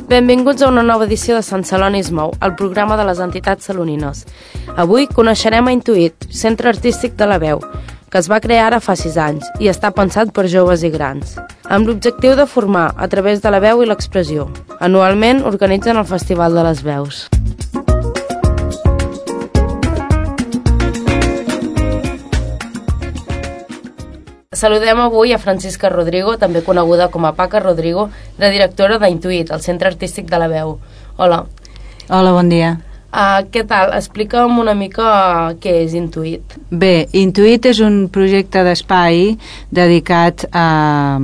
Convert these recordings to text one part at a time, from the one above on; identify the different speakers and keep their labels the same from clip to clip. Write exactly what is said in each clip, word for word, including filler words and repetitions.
Speaker 1: Benvinguts a una nova edició de Sant Celoni es mou, el programa de les entitats salonines. Avui coneixerem a Intuït, centre artístic de la veu, que es va crear ara fa sis anys i està pensat per joves i grans, amb l'objectiu de formar a través de la veu i l'expressió. Anualment organitzen el Festival de les Veus. Saludem avui a Francisca Rodrigo, també coneguda com a Paca Rodrigo, la directora d'Intuït, el centre artístic de la veu. Hola.
Speaker 2: Hola, bon dia.
Speaker 1: Uh, què tal? Explica'm una mica què és Intuït.
Speaker 2: Bé, Intuït és un projecte d'espai dedicat a,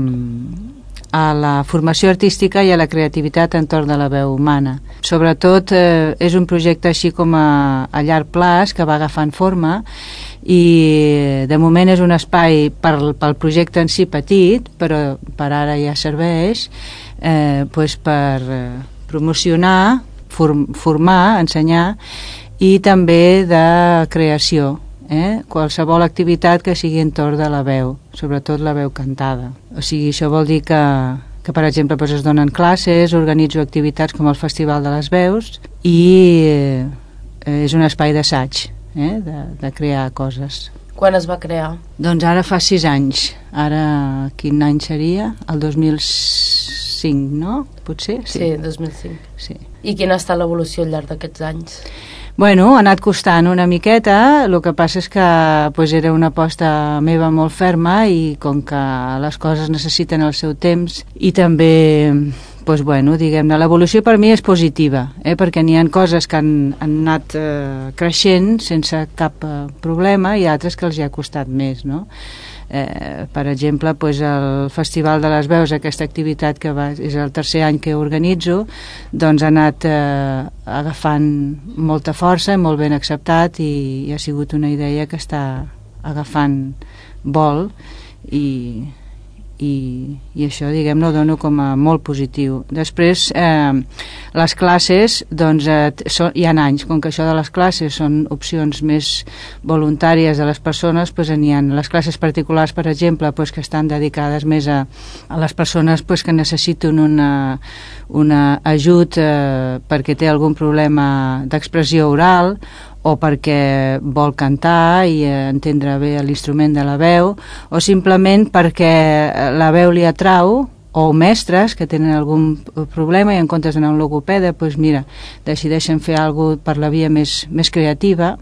Speaker 2: a la formació artística i a la creativitat entorn de la veu humana. Sobretot eh, és un projecte així com a, a llarg plaç que va agafant forma i de moment és un espai per, pel projecte en si petit, però per ara ja serveix eh, pues per eh, promocionar, form, formar, ensenyar i també de creació, eh? Qualsevol activitat que sigui entorn de la veu, sobretot la veu cantada. O sigui, això vol dir que, que per exemple pues es donen classes, organitzo activitats com el Festival de les Veus i eh, és un espai d'assaig, Eh, de, de crear coses.
Speaker 1: Quan es va crear?
Speaker 2: Doncs ara fa sis anys. Ara, quin any seria? El dos mil cinc, no? Potser?
Speaker 1: Sí, sí dos mil cinc.
Speaker 2: Sí.
Speaker 1: I quina ha estat l'evolució al llarg d'aquests anys?
Speaker 2: Bueno, ha anat costant una miqueta, el que passa és que pues, era una aposta meva molt ferma i com que les coses necessiten el seu temps i també pues, bueno, diguem-ne, l'evolució per mi és positiva, eh, perquè n'hi ha coses que han, han anat eh, creixent sense cap eh, problema i altres que els hi ha costat més, no? Eh, per exemple, pues, el Festival de les Veus, aquesta activitat que va, és el tercer any que organitzo, doncs ha anat eh, agafant molta força, molt ben acceptat i, i ha sigut una idea que està agafant vol i... I, i això, diguem-ne, ho dono com a molt positiu. Després, eh, les classes, doncs, eh, so, hi ha anys, com que això de les classes són opcions més voluntàries de les persones, doncs n'hi ha les classes particulars, per exemple, doncs, que estan dedicades més a, a les persones doncs, que necessiten una, una ajut eh, perquè té algun problema d'expressió oral o perquè vol cantar i entendre bé l'instrument de la veu, o simplement perquè la veu li atrau, o mestres que tenen algun problema i en comptes d'anar a un logopeda, doncs mira, decideixen fer alguna cosa per la via més, més creativa,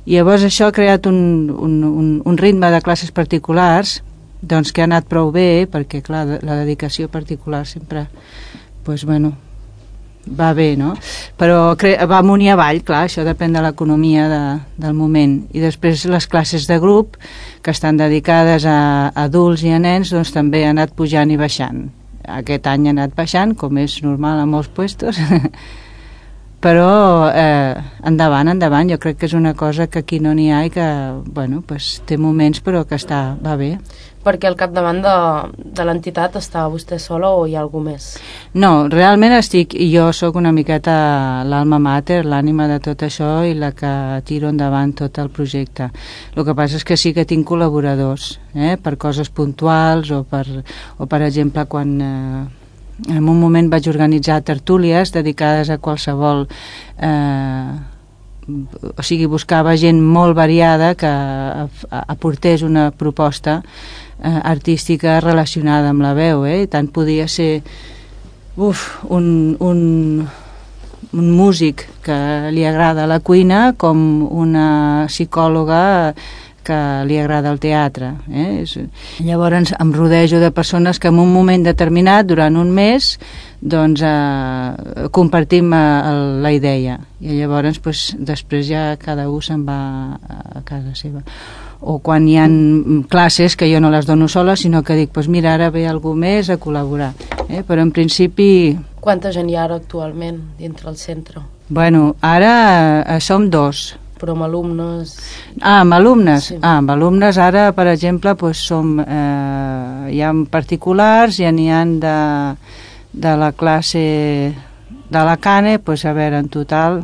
Speaker 2: i llavors això ha creat un, un, un, un ritme de classes particulars doncs que ha anat prou bé, perquè clar, la dedicació particular sempre doncs bueno, va bé, no? Però va amunt i avall, clar, això depèn de l'economia de, del moment. I després les classes de grup, que estan dedicades a adults i a nens, doncs també ha anat pujant i baixant. Aquest any ha anat baixant, com és normal a molts puestos, però eh, endavant, endavant, jo crec que és una cosa que aquí no n'hi ha i que, bueno, pues, té moments però que està, va bé.
Speaker 1: Perquè al capdavant de, de l'entitat està vostè sola o hi ha algú més?
Speaker 2: No, realment estic, jo sóc una miqueta l'alma mater, l'ànima de tot això i la que tiro endavant tot el projecte. El que passa és que sí que tinc col·laboradors, eh, per coses puntuals o per, o per exemple quan eh, en un moment vaig organitzar tertúlies dedicades a qualsevol eh, o sigui, buscava gent molt variada que aportés una proposta eh, artística relacionada amb la veu, eh? Tant podia ser uf, un, un, un músic que li agrada la cuina com una psicòloga que li agrada el teatre, eh? Llavors em rodejo de persones que en un moment determinat, durant un mes, doncs eh, compartim eh, la idea i llavors pues, després ja cada un se'n va a casa seva. O quan hi ha classes que jo no les dono sola, sinó que dic, pues mira, ara ve algú més a col·laborar, eh? Però en principi...
Speaker 1: Quanta gent hi ha ara actualment dintre el centre?
Speaker 2: Bueno, ara eh, som dos.
Speaker 1: Però amb alumnes...
Speaker 2: Ah, amb alumnes?
Speaker 1: Sí.
Speaker 2: Ah, amb alumnes ara, per exemple, pues, som, eh, hi ha particulars, ja n'hi ha de, de la classe de la Cane, pues, a veure, en total,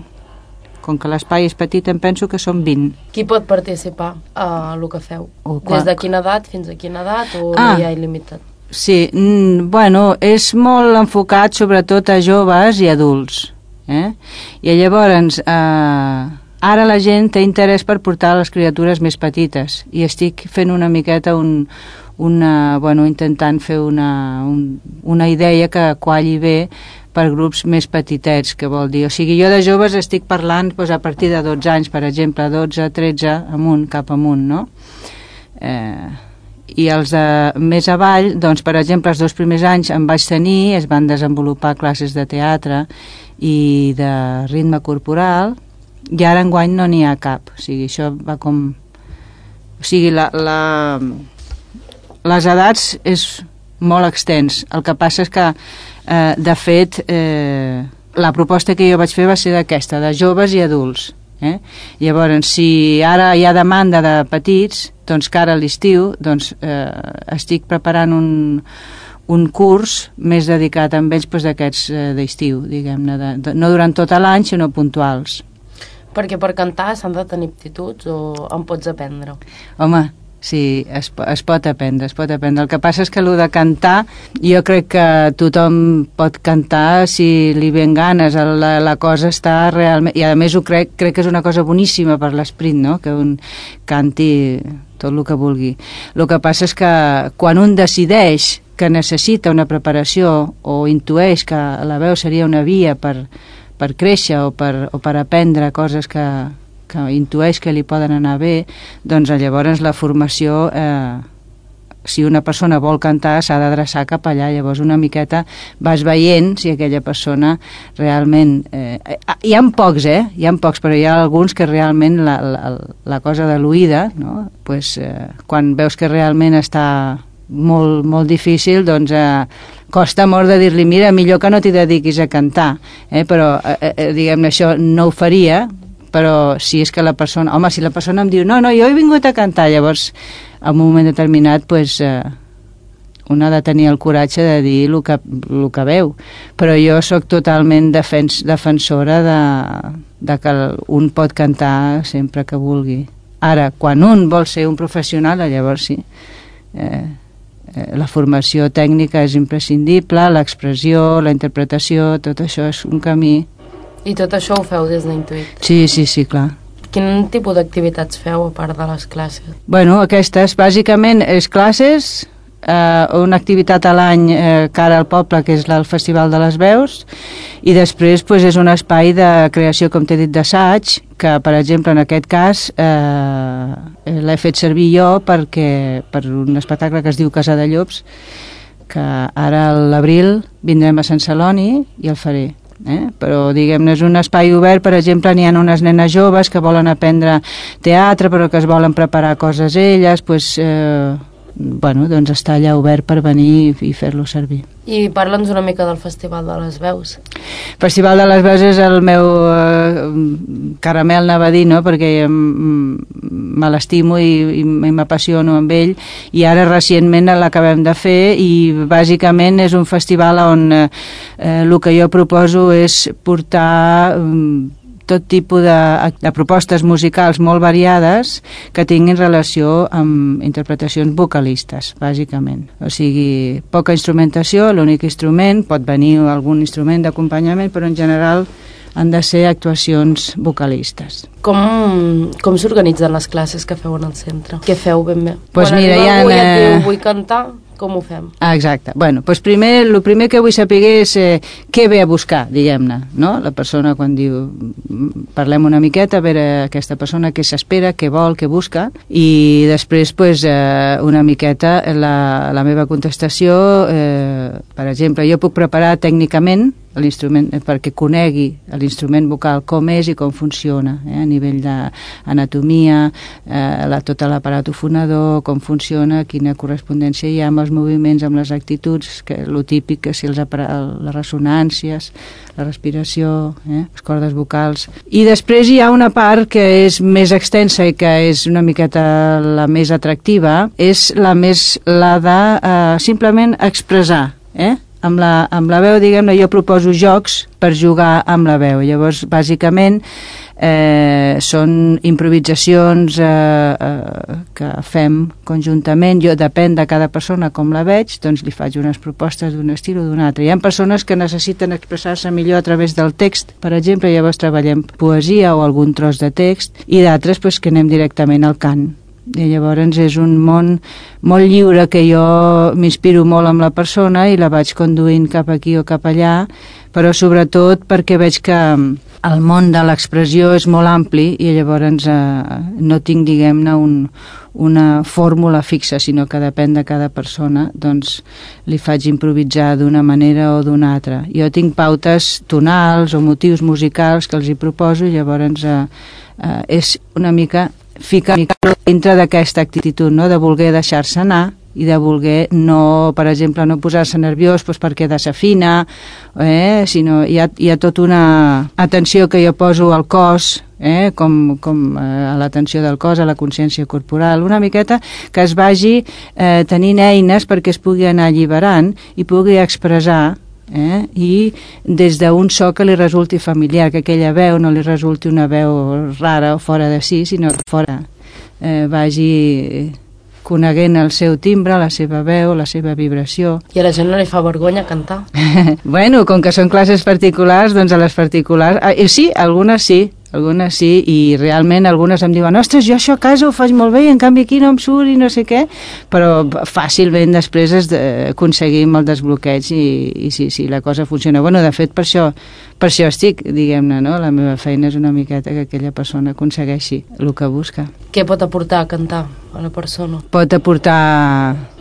Speaker 2: com que l'espai és petit, em penso que són vint.
Speaker 1: Qui pot participar a el que feu?
Speaker 2: O
Speaker 1: Des de quina edat fins a quina edat o
Speaker 2: ah,
Speaker 1: no hi ha il·limitat?
Speaker 2: Sí, mm, bueno, és molt enfocat sobretot a joves i adults. Eh? I llavors, eh, ara la gent té interès per portar les criatures més petites i estic fent una miqueta un, una, bueno, intentant fer una, un, una idea que qualli bé per grups més petitets, que vol dir, o sigui, jo de joves estic parlant doncs, a partir de dotze anys, per exemple, dotze, tretze, amunt, cap amunt, no? Eh... I els de més avall, doncs, per exemple, els dos primers anys en vaig tenir, es van desenvolupar classes de teatre i de ritme corporal, i ara enguany no n'hi ha cap. O sigui, això va com... O sigui, la, la... les edats és molt extens. El que passa és que, eh, de fet, eh, la proposta que jo vaig fer va ser d'aquesta, de joves i adults. Eh? Llavors, si ara hi ha demanda de petits, doncs que ara a l'estiu doncs, eh, estic preparant un, un curs més dedicat a ells doncs, d'aquests eh, d'estiu, diguem-ne, de, de, no durant tot l'any, sinó puntuals.
Speaker 1: Perquè per cantar s'han de tenir aptituds o en pots aprendre?
Speaker 2: Home, sí, es, es pot aprendre, es pot aprendre. El que passa és que el de cantar, jo crec que tothom pot cantar si li ven ganes, la, la cosa està realment... I a més ho crec, crec que és una cosa boníssima per l'esprit, no?, que un canti tot el que vulgui. El que passa és que quan un decideix que necessita una preparació o intueix que la veu seria una via per, per créixer o per, o per aprendre coses que... que intueix que li poden anar bé, doncs llavors la formació, eh, si una persona vol cantar, s'ha d'adreçar cap allà. Llavors una miqueta vas veient si aquella persona realment... Eh, hi ha pocs, eh? Hi ha pocs, però hi ha alguns que realment la, la, la cosa de l'oïda, no? Pues, eh, quan veus que realment està molt, molt difícil, doncs eh, costa molt de dir-li, mira, millor que no t'hi dediquis a cantar, eh? Però eh, eh, diguem-ne, això no ho faria, però si és que la persona... Home, si la persona em diu, no, no, jo he vingut a cantar, llavors, en un moment determinat, pues, eh, un ha de tenir el coratge de dir el que, el que veu. Però jo sóc totalment defens, defensora de, de que un pot cantar sempre que vulgui. Ara, quan un vol ser un professional, llavors sí. Eh, eh, la formació tècnica és imprescindible, l'expressió, la interpretació, tot això és un camí.
Speaker 1: I tot això ho feu des d'Intuit?
Speaker 2: Sí, sí, sí, clar.
Speaker 1: Quin tipus d'activitats feu a part de les classes?
Speaker 2: Bueno, aquestes, bàsicament, és classes, eh, una activitat a l'any eh, cara al poble, que és el Festival de les Veus, i després pues, és un espai de creació, com t'he dit, d'assaig, que, per exemple, en aquest cas, eh, l'he fet servir jo perquè, per un espectacle que es diu Casa de Llops, que ara a l'abril vindrem a Sant Celoni i el faré. Eh? Però diguem-ne és un espai obert, per exemple n'hi ha unes nenes joves que volen aprendre teatre però que es volen preparar coses elles, pues, eh, bueno, doncs està allà obert per venir i fer-lo servir.
Speaker 1: I parla'ns una mica del Festival de les Veus.
Speaker 2: El Festival de les Veus és el meu eh, caramel, anava a dir, no? Perquè me l'estimo i, i m'apassiono amb ell, i ara recentment l'acabem de fer i bàsicament és un festival on eh, el que jo proposo és portar eh, tot tipus de, de propostes musicals molt variades que tinguin relació amb interpretacions vocalistes, bàsicament. O sigui, poca instrumentació, l'únic instrument, pot venir algun instrument d'acompanyament, però en general han de ser actuacions vocalistes.
Speaker 1: Com, com s'organitzen les classes que feu en el centre? Què feu ben bé?
Speaker 2: Pues
Speaker 1: Quan
Speaker 2: mira,
Speaker 1: arriba algú i et
Speaker 2: eh...
Speaker 1: diu, vull cantar, com ho fem?
Speaker 2: Ah, exacte. Bueno, doncs primer, el primer que vull saber és eh, què ve a buscar, diguem-ne, no? La persona quan diu, parlem una miqueta, a veure aquesta persona què s'espera, què vol, què busca, i després, pues, eh, una miqueta la, la meva contestació, eh, per exemple, jo puc preparar tècnicament l'instrument perquè conegui l'instrument vocal com és i com funciona, eh, a nivell d'anatomia, eh, la, tot l'aparat fonador, com funciona, quina correspondència hi ha amb els moviments, amb les actituds, que lo típic, que si els les ressonàncies, la respiració, eh, les cordes vocals. I després hi ha una part que és més extensa i que és una miqueta la més atractiva, és la més la de eh, simplement expressar, eh? Amb la, amb la veu, diguem-ne, jo proposo jocs per jugar amb la veu. Llavors, bàsicament, eh, són improvisacions eh, eh, que fem conjuntament. Jo, depèn de cada persona com la veig, doncs li faig unes propostes d'un estil o d'un altre. Hi ha persones que necessiten expressar-se millor a través del text, per exemple, llavors treballem poesia o algun tros de text, i d'altres pues, que anem directament al cant. I llavors és un món molt lliure que jo m'inspiro molt amb la persona i la vaig conduint cap aquí o cap allà, però sobretot perquè veig que el món de l'expressió és molt ampli i llavors eh, no tinc, diguem-ne, un, una fórmula fixa, sinó que depèn de cada persona, doncs li faig improvisar d'una manera o d'una altra. Jo tinc pautes tonals o motius musicals que els hi proposo i llavors eh, eh, és una mica ficar dintre d'aquesta actitud, no? De voler deixar-se anar i de voler no, per exemple, no posar-se nerviós doncs perquè desafina, eh? Sinó hi ha, hi ha tota una atenció que jo poso al cos, eh? com, com eh, a l'atenció del cos, a la consciència corporal, una miqueta que es vagi eh, tenint eines perquè es pugui anar alliberant i pugui expressar, Eh? I des d'un so que li resulti familiar, que aquella veu no li resulti una veu rara o fora de si, sinó que fora eh, vagi coneguent el seu timbre, la seva veu, la seva vibració.
Speaker 1: I a la gent no li fa vergonya cantar?
Speaker 2: Bueno, com que són classes particulars, doncs a les particulars... Ah, sí, algunes sí, algunes sí, i realment algunes em diuen ostres, jo això a casa ho faig molt bé i en canvi aquí no em surt i no sé què, però fàcilment després es de, aconseguim el desbloqueig i, i sí, sí, la cosa funciona. Bueno, de fet, per això, per això estic, diguem-ne, no? La meva feina és una miqueta que aquella persona aconsegueixi el que busca.
Speaker 1: Què pot aportar a cantar a la persona?
Speaker 2: Pot aportar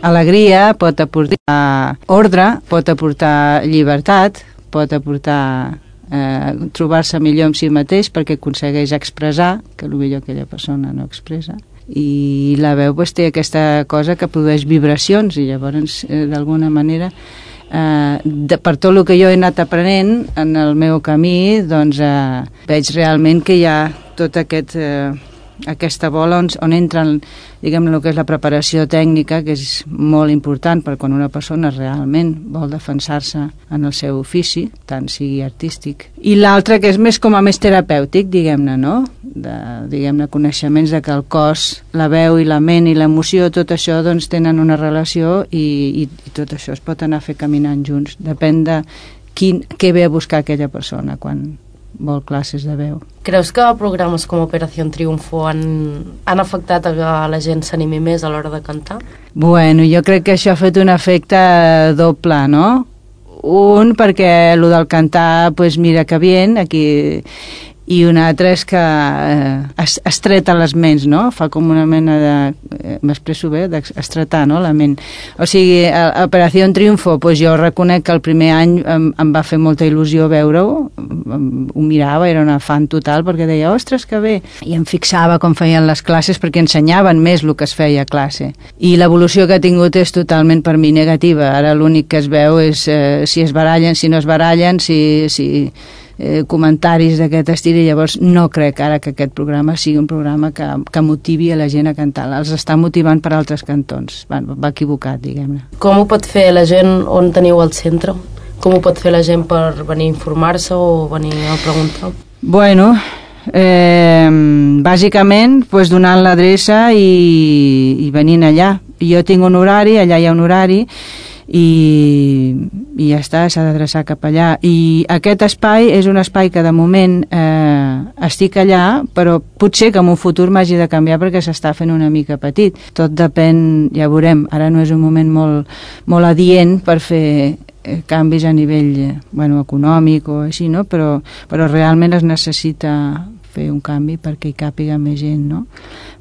Speaker 2: alegria, pot aportar ordre, pot aportar llibertat, pot aportar eh, trobar-se millor amb si mateix perquè aconsegueix expressar que potser aquella persona no expressa. I la veu pues, té aquesta cosa que produeix vibracions i llavors eh, d'alguna manera eh, de, per tot el que jo he anat aprenent en el meu camí doncs eh, veig realment que hi ha tot aquest... Eh, aquesta bola on, on entren, diguem, el que és la preparació tècnica, que és molt important per quan una persona realment vol defensar-se en el seu ofici, tant sigui artístic. I l'altre, que és més com a més terapèutic, diguem-ne, no? De, diguem-ne, coneixements de que el cos, la veu i la ment i l'emoció, tot això, doncs, tenen una relació i, i, i tot això es pot anar a fer caminant junts. Depèn de quin, què ve a buscar aquella persona quan vol classes de veu.
Speaker 1: Creus que programes com Operació Triunfo han, han afectat a que la gent s'animi més a l'hora de cantar?
Speaker 2: Bueno, jo crec que això ha fet un efecte doble, no? Un, perquè el del cantar, pues mira que bien, aquí... i un altre és que eh, es, estreta les ments, no? Fa com una mena de... Eh, m'expresso bé? D'estretar, no? La ment. O sigui, a, a Operació Triunfo, pues jo reconec que el primer any em, em va fer molta il·lusió veure-ho, ho mirava, era una fan total, perquè deia, ostres, que bé! I em fixava com feien les classes, perquè ensenyaven més el que es feia a classe. I l'evolució que ha tingut és totalment per mi negativa. Ara l'únic que es veu és eh, si es barallen, si no es barallen, si... si Eh, comentaris d'aquest estil i llavors no crec ara que aquest programa sigui un programa que, que motivi a la gent a cantar. Els està motivant per altres cantons. Va, va equivocat, diguem-ne.
Speaker 1: Com ho pot fer la gent on teniu el centre? Com ho pot fer la gent per venir a informar-se o venir a preguntar?
Speaker 2: Bueno, eh, bàsicament pues, donant l'adreça i, i venint allà. Jo tinc un horari, allà hi ha un horari i, i ja està, s'ha d'adreçar cap allà. I aquest espai és un espai que de moment eh, estic allà, però potser que en un futur m'hagi de canviar perquè s'està fent una mica petit. Tot depèn, ja veurem, ara no és un moment molt, molt adient per fer eh, canvis a nivell eh, bueno, econòmic o així, no? Però, però realment es necessita fer un canvi perquè hi càpiga més gent, no?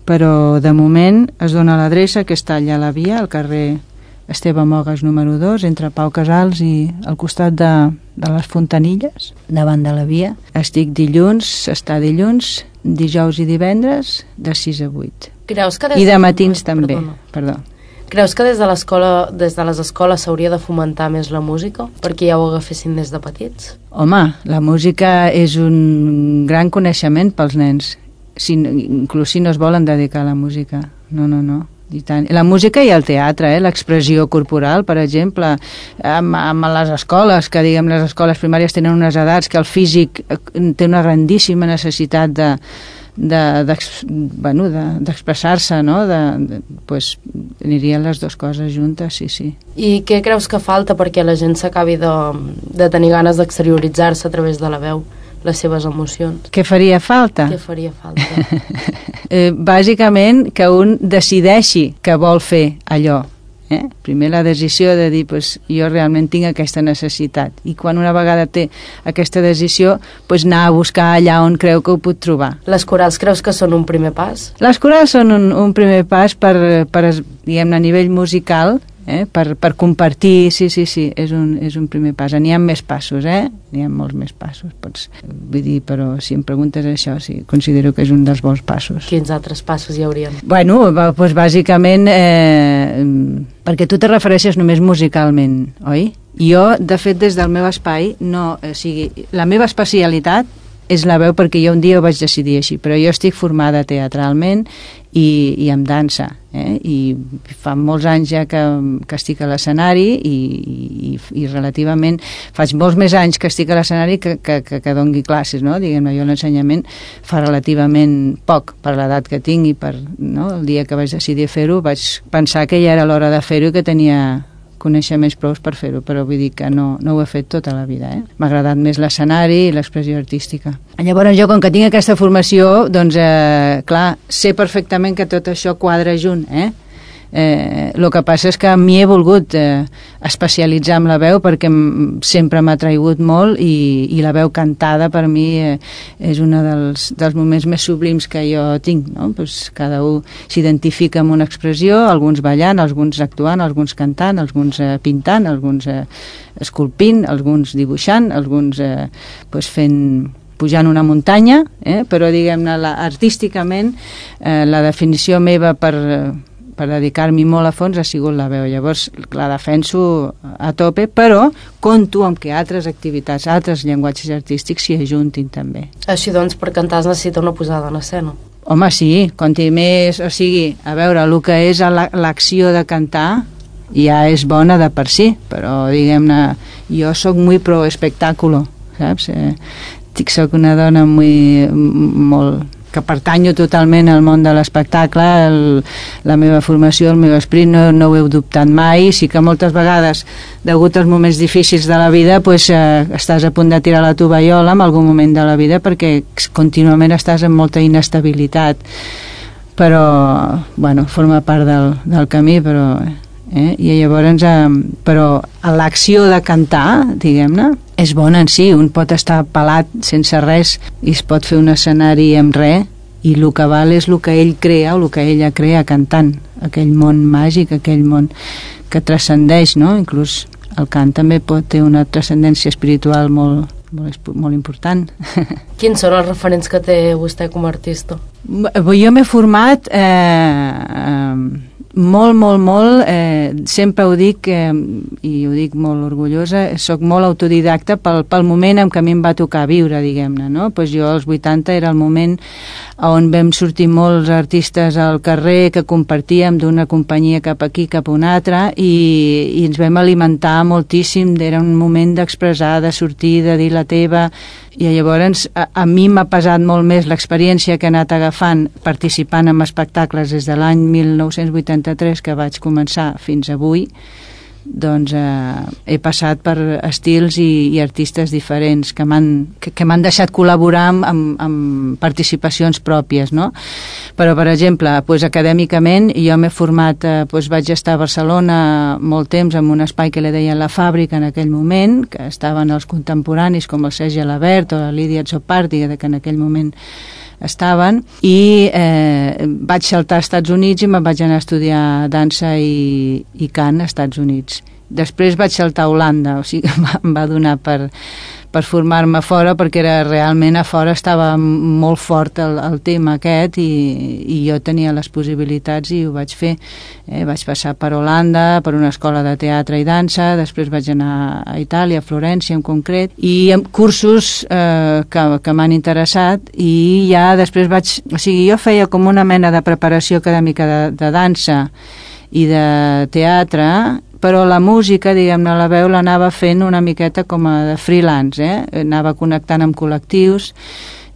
Speaker 2: Però de moment es dona l'adreça que està allà a la via, al carrer Esteve Mogues número dos, entre Pau Casals i al costat de, de les Fontanilles, davant de la via. Estic dilluns, està dilluns, dijous i divendres, de sis a vuit.
Speaker 1: Creus que des
Speaker 2: I de matins també.
Speaker 1: Perdona.
Speaker 2: Perdó.
Speaker 1: Creus que des de l'escola, des de les escoles s'hauria de fomentar més la música perquè ja ho agafessin des de petits?
Speaker 2: Home, la música és un gran coneixement pels nens, si, inclús si no es volen dedicar a la música. No, no, no. I tant. La música i el teatre, eh? L'expressió corporal, per exemple, amb, amb les escoles, que diguem les escoles primàries tenen unes edats que el físic té una grandíssima necessitat de de, de, bueno, de, d'expressar-se, no? De, de, pues, anirien les dues coses juntes, sí, sí.
Speaker 1: I què creus que falta perquè la gent s'acabi de, de tenir ganes d'exterioritzar-se a través de la veu, les seves emocions?
Speaker 2: Què faria falta?
Speaker 1: Què faria falta?
Speaker 2: eh, bàsicament que un decideixi que vol fer allò. Eh? Primer la decisió de dir pues, jo realment tinc aquesta necessitat, i quan una vegada té aquesta decisió pues, anar a buscar allà on creu que ho pot trobar.
Speaker 1: Les corals creus que són un primer pas?
Speaker 2: Les corals són un, un primer pas per, per diguem-ne, a nivell musical, eh? per, per compartir, sí, sí, sí, és un, és un primer pas. N'hi ha més passos, eh? N'hi ha molts més passos, pots, vull dir, però si em preguntes això, sí, considero que és un dels bons passos.
Speaker 1: Quins altres passos hi haurien?
Speaker 2: Bueno, doncs bàsicament, eh, perquè tu te refereixes només musicalment, oi? Jo, de fet, des del meu espai, no, o sigui, la meva especialitat és la veu perquè jo un dia ho vaig decidir així, però jo estic formada teatralment i, i amb dansa, eh? I fa molts anys ja que, que estic a l'escenari i, i, i relativament faig molts més anys que estic a l'escenari que, que, que, que dongui classes, no? Diguem-ne, jo l'ensenyament fa relativament poc per l'edat que tinc i per, no? El dia que vaig decidir fer-ho vaig pensar que ja era l'hora de fer-ho i que tenia coneixements prous per fer-ho, però vull dir que no, no ho he fet tota la vida, eh? M'ha agradat més l'escenari i l'expressió artística. Llavors jo, com que tinc aquesta formació, doncs, eh, clar, sé perfectament que tot això quadra junt, eh? Eh, el que passa és que m'hi he volgut eh, especialitzar amb la veu perquè sempre m'ha atraigut molt i, i la veu cantada per mi eh, és un dels, dels moments més sublims que jo tinc, no? Pues cada un s'identifica amb una expressió, alguns ballant, alguns actuant, alguns cantant, alguns eh, pintant, alguns eh, esculpint, alguns dibuixant, alguns eh, pues fent pujant una muntanya, eh? Però diguem-ne la, artísticament eh, la definició meva per per dedicar-m'hi molt a fons ha sigut la veu. Llavors la defenso a tope, però compto amb que altres activitats, altres llenguatges artístics s'hi ajuntin també.
Speaker 1: Així doncs, per cantar es necessita una posada en escena.
Speaker 2: Home, sí, conti més, o sigui, a veure, el que és l'acció de cantar ja és bona de per si, però diguem-ne, jo sóc muy pro espectáculo, saps? Eh, soc una dona muy, molt que pertanyo totalment al món de l'espectacle, el, la meva formació, el meu esperit, no, no ho he dubtat mai. Sí que moltes vegades, degut als moments difícils de la vida, pues, eh, estàs a punt de tirar la tovallola en algun moment de la vida perquè contínuament estàs en molta inestabilitat, però bueno, forma part del, del camí, però eh? I llavors eh, però l'acció de cantar, diguem-ne, és bona en si. Un pot estar pelat sense res i es pot fer un escenari amb res, i el que val és el que ell crea o el que ella crea cantant, aquell món màgic, aquell món que transcendeix, no? Inclús el cant també pot ter una transcendència espiritual molt, molt, molt important.
Speaker 1: Quins són els referents que té vostè com a artista?
Speaker 2: Jo m'he format eh, eh, molt, molt, molt, eh, sempre ho dic eh, i ho dic molt orgullosa, soc molt autodidacta pel, pel moment en què a mi em va tocar viure, diguem-ne, no? Pues jo als vuitanta era el moment on vam sortir molts artistes al carrer que compartíem d'una companyia cap aquí, cap a una altra, i, i ens vam alimentar moltíssim, era un moment d'expressar, de sortir, de dir la teva, i llavors a, a mi m'ha pesat molt més l'experiència que he anat agafant participant en espectacles des de l'any mil nou-cents vuitanta-tres que vaig començar fins avui. Doncs eh, he passat per estils i, i artistes diferents que m'han que, que m'han deixat col·laborar amb, amb, amb participacions pròpies, no? Però, per exemple, pues, acadèmicament jo m'he format, eh, pues, vaig estar a Barcelona molt temps en un espai que li deien La Fàbrica en aquell moment, que estaven els contemporanis com el Sergi Alabert o la Lídia Tsopardi, que en aquell moment estaven, i eh, vaig saltar als Estats Units i me'n vaig anar a estudiar dansa i, i cant als Estats Units. Després vaig saltar a Holanda, o sigui, em va donar per, per formar-me fora, perquè era, realment a fora estava molt fort el, el tema aquest i, i jo tenia les possibilitats i ho vaig fer. Eh, vaig passar per Holanda, per una escola de teatre i dansa, després vaig anar a Itàlia, a Florència en concret, i amb cursos eh, que, que m'han interessat, i ja després vaig... O sigui, jo feia com una mena de preparació acadèmica de, de dansa i de teatre, però la música, diguem-ne, la veu l'anava fent una miqueta com a de freelance, eh? Anava connectant amb col·lectius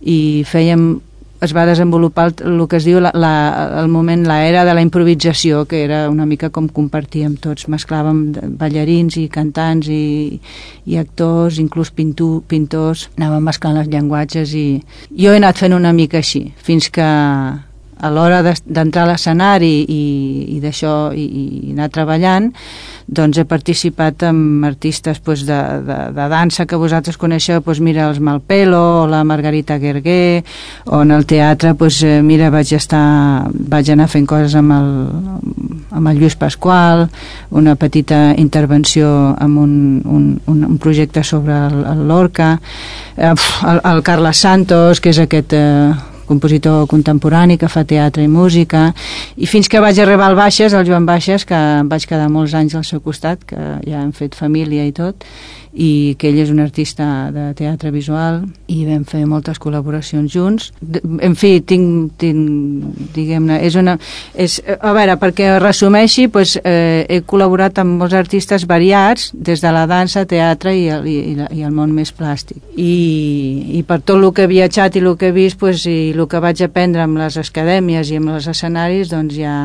Speaker 2: i fèiem, es va desenvolupar el, el que es diu la, la, el moment, l'era de la improvisació, que era una mica com compartíem tots, mesclàvem ballarins i cantants i, i actors, inclús pintu, pintors, anàvem mesclant els llenguatges, i jo he anat fent una mica així, fins que a l'hora d'entrar a l'escenari i, i d'això, i, i anar treballant, doncs he participat amb artistes pues, de, de, de dansa que vosaltres coneixeu, pues, mira, els Malpelo o la Margarita Guerguer, o en el teatre, pues, mira, vaig estar vaig anar fent coses amb el, amb el Lluís Pasqual, una petita intervenció amb un, un, un, un projecte sobre el, el Lorca, eh, el, el Carles Santos, que és aquest... Eh, compositor contemporani que fa teatre i música, i fins que vaig arribar al Baixes, al Joan Baixes, que em vaig quedar molts anys al seu costat, que ja hem fet família i tot, i que ell és un artista de teatre visual, i vam fer moltes col·laboracions junts. En fi, tinc, tinc diguem-ne, és una... És, a veure, perquè resumeixi, pues, eh, he col·laborat amb molts artistes variats, des de la dansa, teatre i el, i, i el món més plàstic. I, i per tot el que he viatjat i el que he vist, pues, i el que vaig aprendre amb les acadèmies i amb els escenaris, doncs ja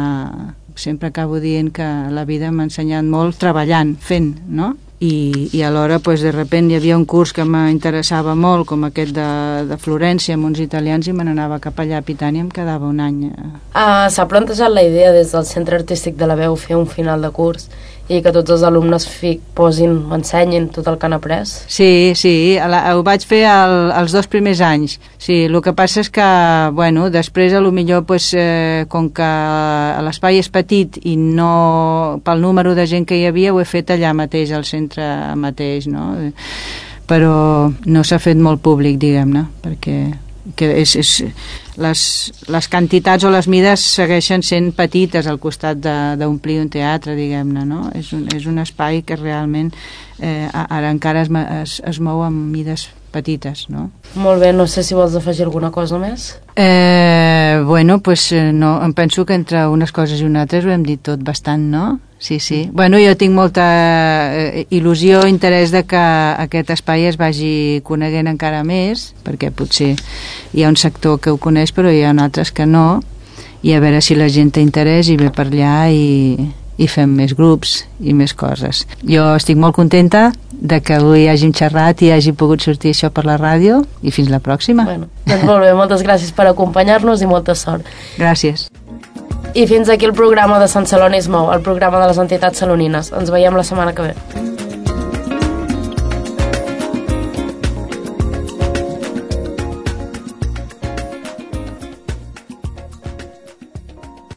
Speaker 2: sempre acabo dient que la vida m'ha ensenyat molt treballant, fent, no? I, i alhora, pues, de repente hi havia un curs que m'interessava molt, com aquest de, de Florència, amb uns italians, i me n'anava cap allà a Pitània, em quedava un any.
Speaker 1: Uh, S'ha plantejat la idea des del Centre Artístic de la Veu fer un final de curs i que tots els alumnes fi, posin, ensenyin tot el que han après?
Speaker 2: Sí, sí, la, ho vaig fer el, els dos primers anys. Sí, el que passa és que, bueno, després a lo millor, pues, eh, com que l'espai és petit i no, pel número de gent que hi havia, ho he fet allà mateix, al centre mateix, no? Però no s'ha fet molt públic, diguem-ne, perquè que és, és, les, les quantitats o les mides segueixen sent petites al costat d'omplir un teatre, diguem-ne, no? És un, és un espai que realment eh, ara encara es, es, es mou amb mides petites, no?
Speaker 1: Molt bé, no sé si vols afegir alguna cosa més?
Speaker 2: Eh, bueno, pues no, em penso que entre unes coses i unes altres ho hem dit tot bastant, no? Sí, sí. Bueno, jo tinc molta eh, il·lusió, interès de que aquest espai es vagi coneguent encara més, perquè potser hi ha un sector que ho coneix, però hi ha altres que no, i a veure si la gent té interès i ve per allà i, i fem més grups i més coses. Jo estic molt contenta de que avui hàgim xerrat i hagi pogut sortir això per la ràdio, i fins la pròxima.
Speaker 1: Bueno, doncs molt bé, moltes gràcies per acompanyar-nos i molta sort.
Speaker 2: Gràcies.
Speaker 1: I fins aquí el programa de Sant Celoni es mou, el programa de les entitats salonines. Ens veiem la setmana que ve.